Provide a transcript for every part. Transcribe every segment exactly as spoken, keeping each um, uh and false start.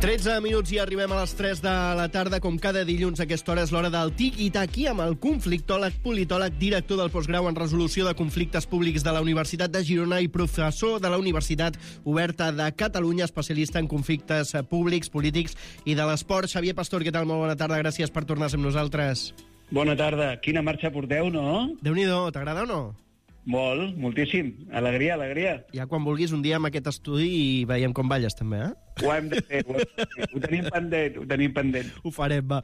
tretze minuts i arribem a les tres de la tarda. Com cada dilluns a aquesta hora és l'hora del Tiki-Taki amb el conflictòleg, politòleg, director del postgrau en resolució de conflictes públics de la Universitat de Girona i professor de la Universitat Oberta de Catalunya, especialista en conflictes públics, polítics i de l'esport. Xavier Pastor, què tal? Molt bona tarda, gràcies per tornar amb nosaltres. Bona tarda. Quina marxa porteu, no? Déu-n'hi-do, t'agrada o no? Molt, moltíssim. Alegria, alegria. Ja quan vulguis un dia amb aquest estudi i veiem com balles, també, eh? Ho hem de fer, ho, hem de fer. Ho tenim pendent, ho tenim pendent. Ho farem, va.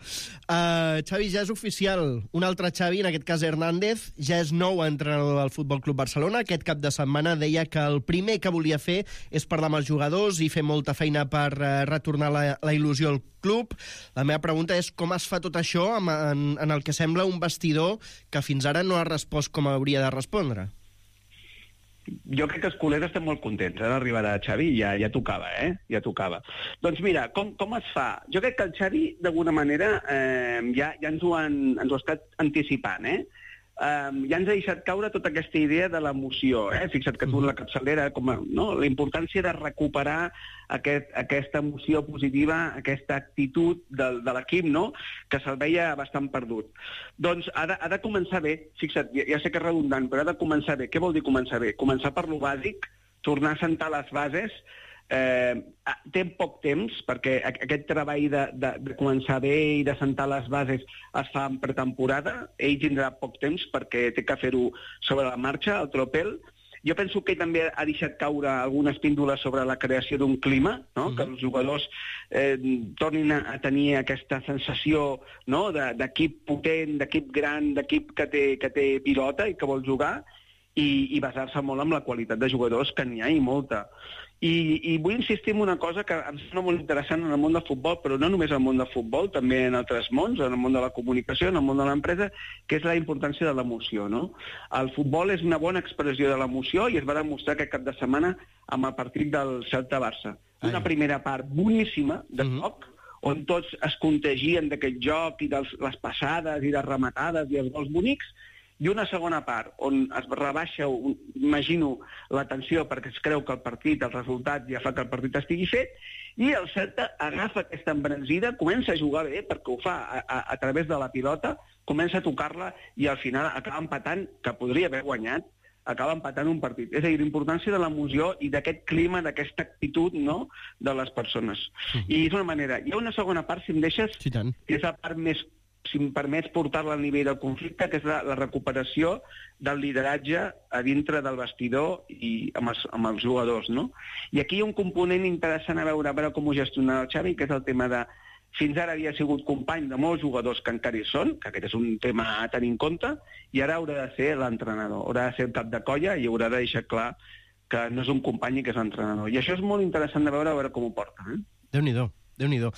Uh, Xavi, ja és oficial. Un altre Xavi, en aquest cas Hernández, ja és nou entrenador del Futbol Club Barcelona. Aquest cap de setmana deia que el primer que volia fer és parlar amb els jugadors i fer molta feina per uh, retornar la, la il·lusió al club. La meva pregunta és com es fa tot això en, en, en el que sembla un vestidor que fins ara no ha respost com hauria de respondre? Jo crec que els culers estem molt contents eh, d'arribar a Xavi, ja, ja tocava, eh? Ja tocava. Doncs mira, com, com es fa? Jo crec que el Xavi, d'alguna manera, eh, ja, ja ens ho, han, ens ho ha estat anticipant, eh? Um, ja ens ha deixat caure tota aquesta idea de l'emoció, eh? Fixa't que tu en la capçalera, com a, no? La importància de recuperar aquest, aquesta emoció positiva, aquesta actitud de, de l'equip, no? Que se'l veia bastant perdut. Doncs ha de, ha de començar bé, fixa't, ja, ja sé que és redundant, però ha de començar bé. Què vol dir començar bé? Començar per lo bàsic, tornar a sentar les bases. Eh, té poc temps, perquè aquest treball de, de, de començar bé i de sentar les bases es fa en pretemporada. Ell tindrà poc temps perquè té que fer-ho sobre la marxa, el tropel. Jo penso que ell també ha deixat caure algunes píndoles sobre la creació d'un clima, no? Mm-hmm. Que els jugadors eh, tornin a, a tenir aquesta sensació, no? de, d'equip potent, d'equip gran, d'equip que té, que té pilota i que vol jugar, i, i basar-se molt en la qualitat de jugadors, que n'hi ha i molta. I, i vull insistir en una cosa que em sembla molt interessant en el món del futbol, però no només en el món del futbol, també en altres mons, en el món de la comunicació, en el món de l'empresa, que és la importància de l'emoció, no? El futbol és una bona expressió de l'emoció i es va demostrar aquest cap de setmana amb el partit del Celta-Barça. Una primera part boníssima de joc, on tots es contagien d'aquest joc i de les passades i les rematades i els gols bonics, i una segona part on es rebaixa, imagino, la tensió perquè es creu que el partit, el resultat ja fa que el partit estigui fet, i el Celta agafa aquesta embranzida, comença a jugar bé perquè ho fa a, a, a través de la pilota, comença a tocar-la i al final acaba empatant, que podria haver guanyat, acaba empatant un partit. És a dir, l'importància de l'emoció i d'aquest clima, d'aquesta actitud, no?, de les persones. Mm. I és una manera. Hi ha una segona part, si em deixes, sí, tant, que és la part més, si em permets portar-la al nivell del conflicte, que és la, la recuperació del lideratge a dintre del vestidor i amb els, amb els jugadors, no? I aquí hi ha un component interessant a veure, a veure com ho gestiona el Xavi, que és el tema de... Fins ara havia sigut company de molts jugadors que encara hi són, que aquest és un tema a tenir en compte, i ara haurà de ser l'entrenador, haurà de ser el cap de colla i haurà de deixar clar que no és un company i que és l'entrenador. I això és molt interessant de veure, a veure com ho porta. Eh? Déu-n'hi-do. Déu-n'hi-do.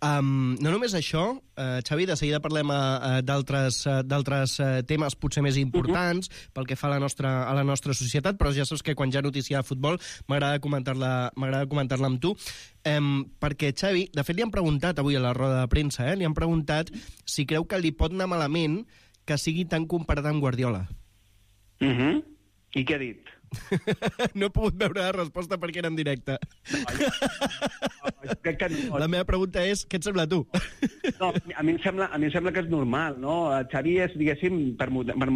Um, no només això, uh, Xavi, de seguida parlem uh, d'altres uh, d'altres uh, temes potser més importants uh-huh. pel que fa a la, nostra, a la nostra societat, però ja saps que quan hi ha notícia de futbol m'agrada comentar-la m'agrada comentar-la amb tu, um, perquè, Xavi, de fet li han preguntat avui a la roda de premsa, eh, li han preguntat si creu que li pot anar malament que sigui tan comparat amb Guardiola. Uh-huh. I què ha dit? No he pogut veure la resposta perquè era en directe. No, jo, no, crec que no. La meva pregunta és, què et sembla a tu? No, a mi em sembla, a mi em sembla que és normal, no? El Xavi és, diguéssim, per, per,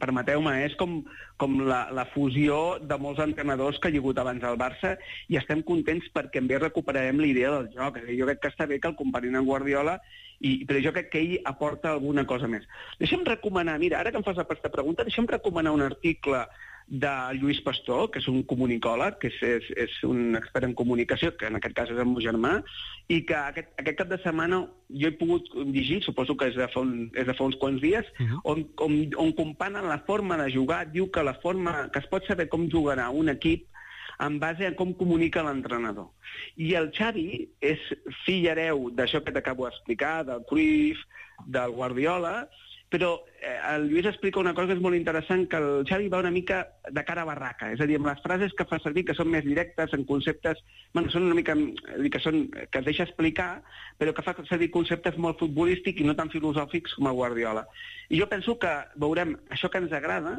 permeteu-me, és com, com la, la fusió de molts entrenadors que hi ha hagut abans al Barça i estem contents perquè també recuperarem la idea del joc. Jo crec que està bé que el comparin amb Guardiola, i, però jo crec que ell aporta alguna cosa més. Deixa'm recomanar, mira, ara que em fas aquesta pregunta, deixa'm recomanar un article de Lluís Pastor, que és un comunicòleg, que és, és, és un expert en comunicació, que en aquest cas és el meu germà, i que aquest, aquest cap de setmana jo he pogut llegir, suposo que és de fa, un, és de fa uns quants dies, uh-huh. on, on, on comparen la forma de jugar, diu que la forma que es pot saber com jugarà un equip en base a com comunica l'entrenador. I el Xavi és fill hereu d'això que t'acabo d'explicar, del Cruyff, del Guardiola, però eh, el Lluís explica una cosa que és molt interessant, que el Xavi va una mica de cara a barraca, és a dir, amb les frases que fa servir, que són més directes, en conceptes, bueno, són una mica, que, són, que es deixa explicar, però que fa servir conceptes molt futbolístics i no tan filosòfics com el Guardiola. I jo penso que veurem això que ens agrada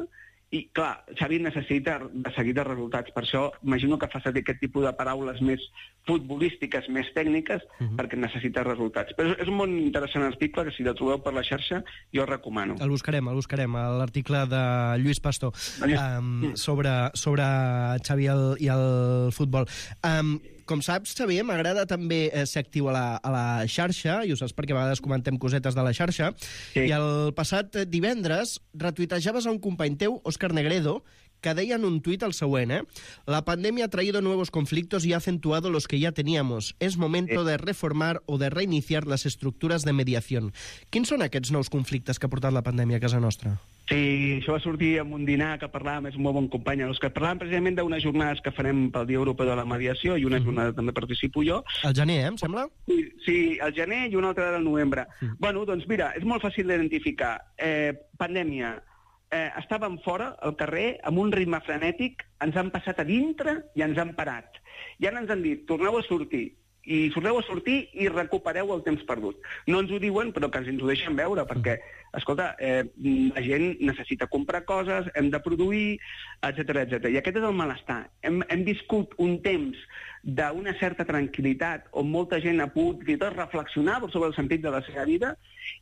I, clar, Xavi necessita de seguida resultats. Per això imagino que fa servir aquest tipus de paraules més futbolístiques, més tècniques, uh-huh. perquè necessita resultats. Però és un molt interessant article que si el trobeu per la xarxa jo el recomano. El buscarem, el buscarem, l'article de Lluís Pastor um, sobre, sobre Xavi el, i el futbol. Um, Com saps, Xavier, m'agrada també eh, ser actiu a la, a la xarxa, i ho saps perquè a vegades comentem cosetes de la xarxa, sí. I el passat divendres retuitejaves a un company teu, Òscar Negredo, que deia en un tuit el següent, eh? La pandemia ha traído nuevos conflictos y ha acentuado los que ya teníamos. Es momento de reformar o de reiniciar las estructuras de mediación. Quins són aquests nous conflictes que ha portat la pandèmia a casa nostra? Sí, això va sortir en un dinar que parlàvem, és un molt bon company, els que parlàvem precisament d'unes jornades que farem pel Dia Europeu de la Mediació i una mm. jornada també participo jo. Al gener, eh, em sembla? Sí, sí, al gener i una altra del novembre. Mm. Bueno, doncs mira, és molt fàcil d'identificar. Eh, pandèmia, eh, estàvem fora, al carrer, amb un ritme frenètic, ens han passat a dintre i ens han parat. I ara ens han dit, torneu a sortir. I sorteu a sortir i recupereu el temps perdut. No ens ho diuen, però que ens ho deixen veure, perquè, escolta, eh, la gent necessita comprar coses, hem de produir, etcètera, etcètera. I aquest és el malestar. Hem, hem viscut un temps d'una certa tranquil·litat on molta gent ha pogut fins i tot reflexionar sobre el sentit de la seva vida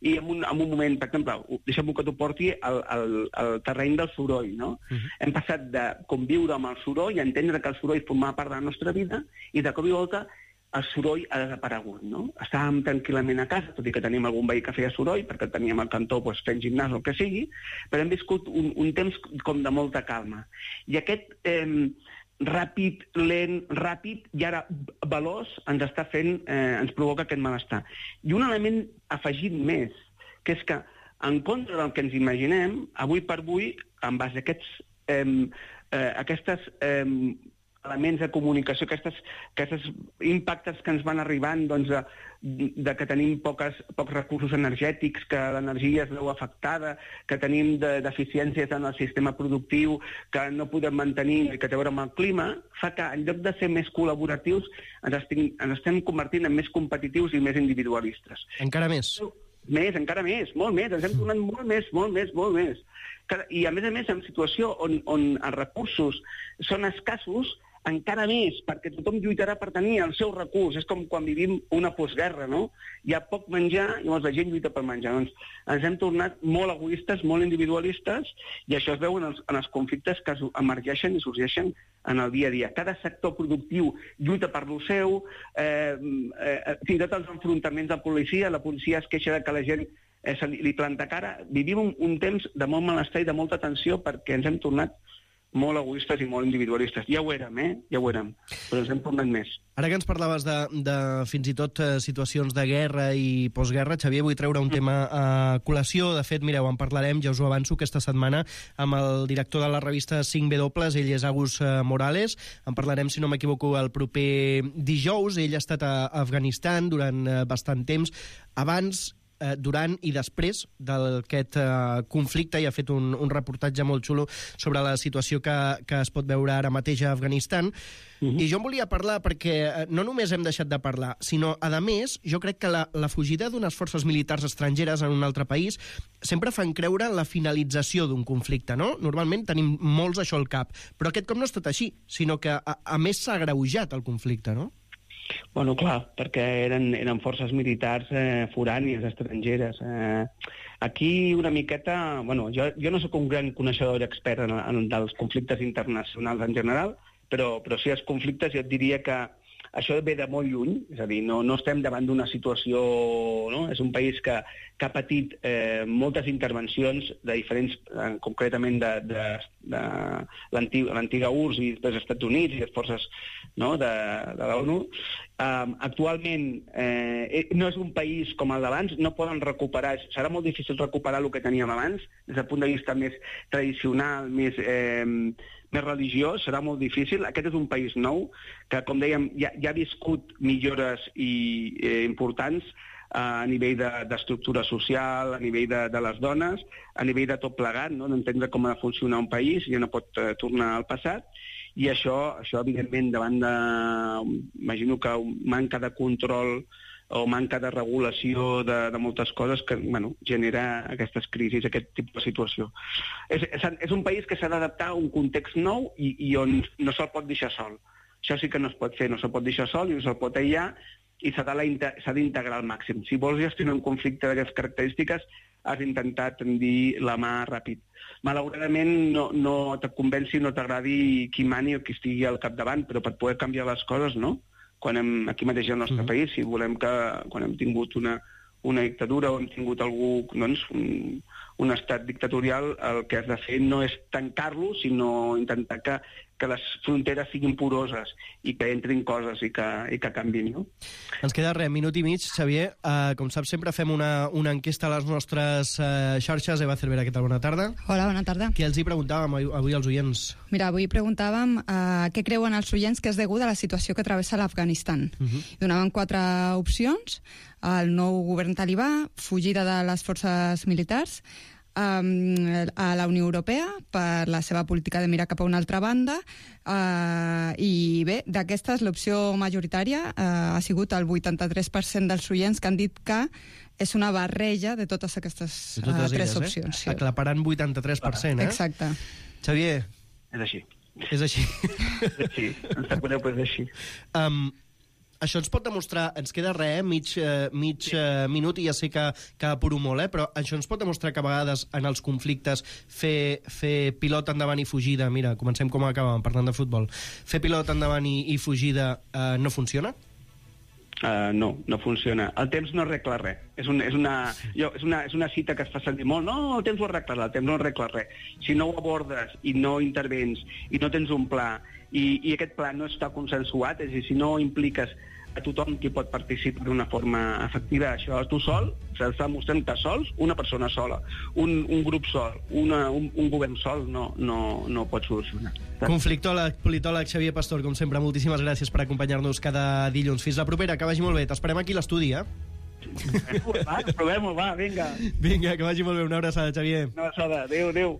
i en un, en un moment, per exemple, deixa'm que t'ho porti al, al, al terreny del soroll, no? Uh-huh. Hem passat de conviure amb el soroll i entendre que el soroll formava part de la nostra vida i de cop i volta el soroll ha desaparegut, no? Estàvem tranquil·lament a casa, tot i que teníem algun veí que feia soroll, perquè teníem al cantó doncs, fent gimnàs o el que sigui, però hem viscut un, un temps com de molta calma. I aquest eh, ràpid, lent, ràpid i ara veloç ens està fent, eh, ens provoca aquest malestar. I un element afegit més, que és que en contra del que ens imaginem, avui per avui, en base a aquests, eh, eh, aquestes eh, elements de comunicació, aquestes, aquestes impactes que ens van arribant doncs, de, de que tenim poques, pocs recursos energètics, que l'energia es veu afectada, que tenim de, deficiències en el sistema productiu, que no podem mantenir i que té a veure amb el clima, fa que en lloc de ser més col·laboratius ens, estem, ens estem convertint en més competitius i més individualistes. Encara més. Més, encara més, molt més, ens hem tornat molt més, molt més, molt més. I a més a més, en situació on, on els recursos són escassos, encara més, perquè tothom lluitarà per tenir el seu recurs. És com quan vivim una postguerra, no? Hi ha poc menjar i llavors la gent lluita per menjar. Doncs ens hem tornat molt egoistes, molt individualistes, i això es veu en els, en els conflictes que emergeixen i sorgeixen en el dia a dia. Cada sector productiu lluita per lo seu, eh, eh, fins i tot els enfrontaments de policia, la policia es queixa de que la gent eh, se li, li planta cara. Vivim un, un temps de molt malestar i de molta tensió perquè ens hem tornat molt egoistes i molt individualistes. Ja ho érem, eh? Ja ho érem, però ens hem tornat més. Ara que ens parlaves de, de fins i tot eh, situacions de guerra i postguerra, Xavier, vull treure un tema a col·lació. De fet, mireu, en parlarem, ja us ho avanço, aquesta setmana amb el director de la revista cinc W, ell és Agus Morales. En parlarem, si no m'equivoco, el proper dijous. Ell ha estat a Afganistan durant bastant temps. Abans, Eh, durant i després d'aquest eh, conflicte, i ha fet un, un reportatge molt xulo sobre la situació que, que es pot veure ara mateix a Afganistan. Uh-huh. I jo en volia parlar perquè eh, no només hem deixat de parlar, sinó, a més, jo crec que la, la fugida d'unes forces militars estrangeres en un altre país sempre fan creure en la finalització d'un conflicte, no? Normalment tenim molts això al cap, però aquest cop no és tot així, sinó que, a, a més, s'ha agreujat el conflicte, no? Bueno, clar, perquè eren, eren forces militars eh, forànies, estrangeres. Eh, aquí una miqueta... Bueno, jo, jo no sóc un gran coneixedor i expert en, en, dels conflictes internacionals en general, però, però sí els conflictes jo et diria que això ve de molt lluny, és a dir, no, no estem davant d'una situació... No? És un país que, que ha patit eh, moltes intervencions de diferents, eh, concretament de, de, de l'antiga U R S S i dels Estats Units i les forces, no? de, de l'ONU. Um, actualment eh, no és un país com el d'abans, no poden recuperar, serà molt difícil recuperar el que teníem abans, des del punt de vista més tradicional, més... Eh, més religiós, serà molt difícil. Aquest és un país nou que, com dèiem, ja, ja ha viscut millores i, eh, importants a nivell d'estructura de, social, a nivell de, de les dones, a nivell de tot plegat, no? D'entendre com ha de funcionar un país, ja no pot eh, tornar al passat, i això, això evidentment, davant de... Imagino que manca de control o manca de regulació de, de moltes coses que bueno, genera aquestes crisis, aquest tipus de situació. És, és, és un país que s'ha d'adaptar a un context nou i, i on no se'l pot deixar sol. Això sí que no es pot fer, no se'l pot deixar sol i no se'l pot aïllar, i s'ha d'integrar al màxim. Si vols gestionar un conflicte d'aquestes característiques, has d'intentar tendir la mà ràpid. Malauradament no, no et convenci, no t'agradi qui mani o qui estigui al capdavant, però per poder canviar les coses, no? Quan hem, aquí mateix al nostre mm. país, si volem que, quan hem tingut una, una dictadura o hem tingut algú, doncs, un, un estat dictatorial, el que has de fer no és tancar-lo, sinó intentar que, que les fronteres siguin poroses i que entrin coses i que, i que canvin, no? Ens queda res, minut i mig, Xavier. Uh, com saps, sempre fem una, una enquesta a les nostres uh, xarxes. Eva Cervera, què tal? Bona tarda. Hola, bona tarda. Què els hi preguntàvem avui als oients? Mira, avui preguntàvem uh, què creuen els oients que és degut a la situació que travessa l'Afganistan. Uh -huh. Donaven quatre opcions: el nou govern talibà, fugida de les forces militars, Um, a la Unió Europea per la seva política de mirar cap a una altra banda, uh, i bé, d'aquestes l'opció majoritària uh, ha sigut el vuitanta-tres per cent dels oients que han dit que és una barreja de totes aquestes de totes uh, tres elles, opcions. Eh? Sí. Aclaparant vuitanta-tres per cent, eh? Exacte. Xavier. És així. És així. És així. Ens sap greu, però és així. Um, Això ens pot demostrar, ens queda res, eh? mig, eh, mig sí. eh, minut, i ja sé que, que apuro molt, eh? Però això ens pot demostrar que a vegades en els conflictes fer, fer pilot endavant i fugida, mira, comencem com acabàvem, parlant de futbol, fer pilot endavant i, i fugida eh, no funciona? Uh, no, no funciona. El temps no arregla res. És, un, és, una, jo, és, una, és una cita que es fa sentir molt. No, el temps ho arregla, el temps no arregla res. Si no ho abordes i no intervens i no tens un pla i, i aquest pla no està consensuat, és a dir, si no impliques a tothom qui pot participar d'una forma efectiva, això tu sol, s'està mostrant que sols, una persona sola, un, un grup sol, una, un, un govern sol no, no, no pot solucionar. Conflictòleg, politòleg Xavier Pastor, com sempre, moltíssimes gràcies per acompanyar-nos cada dilluns. Fins la propera, que vagi molt bé. T'esperem aquí a l'estudi, eh? Va, provem-ho, va, vinga. Vinga, que vagi molt bé. Una abraçada, Xavier. Una abraçada, adéu, adéu.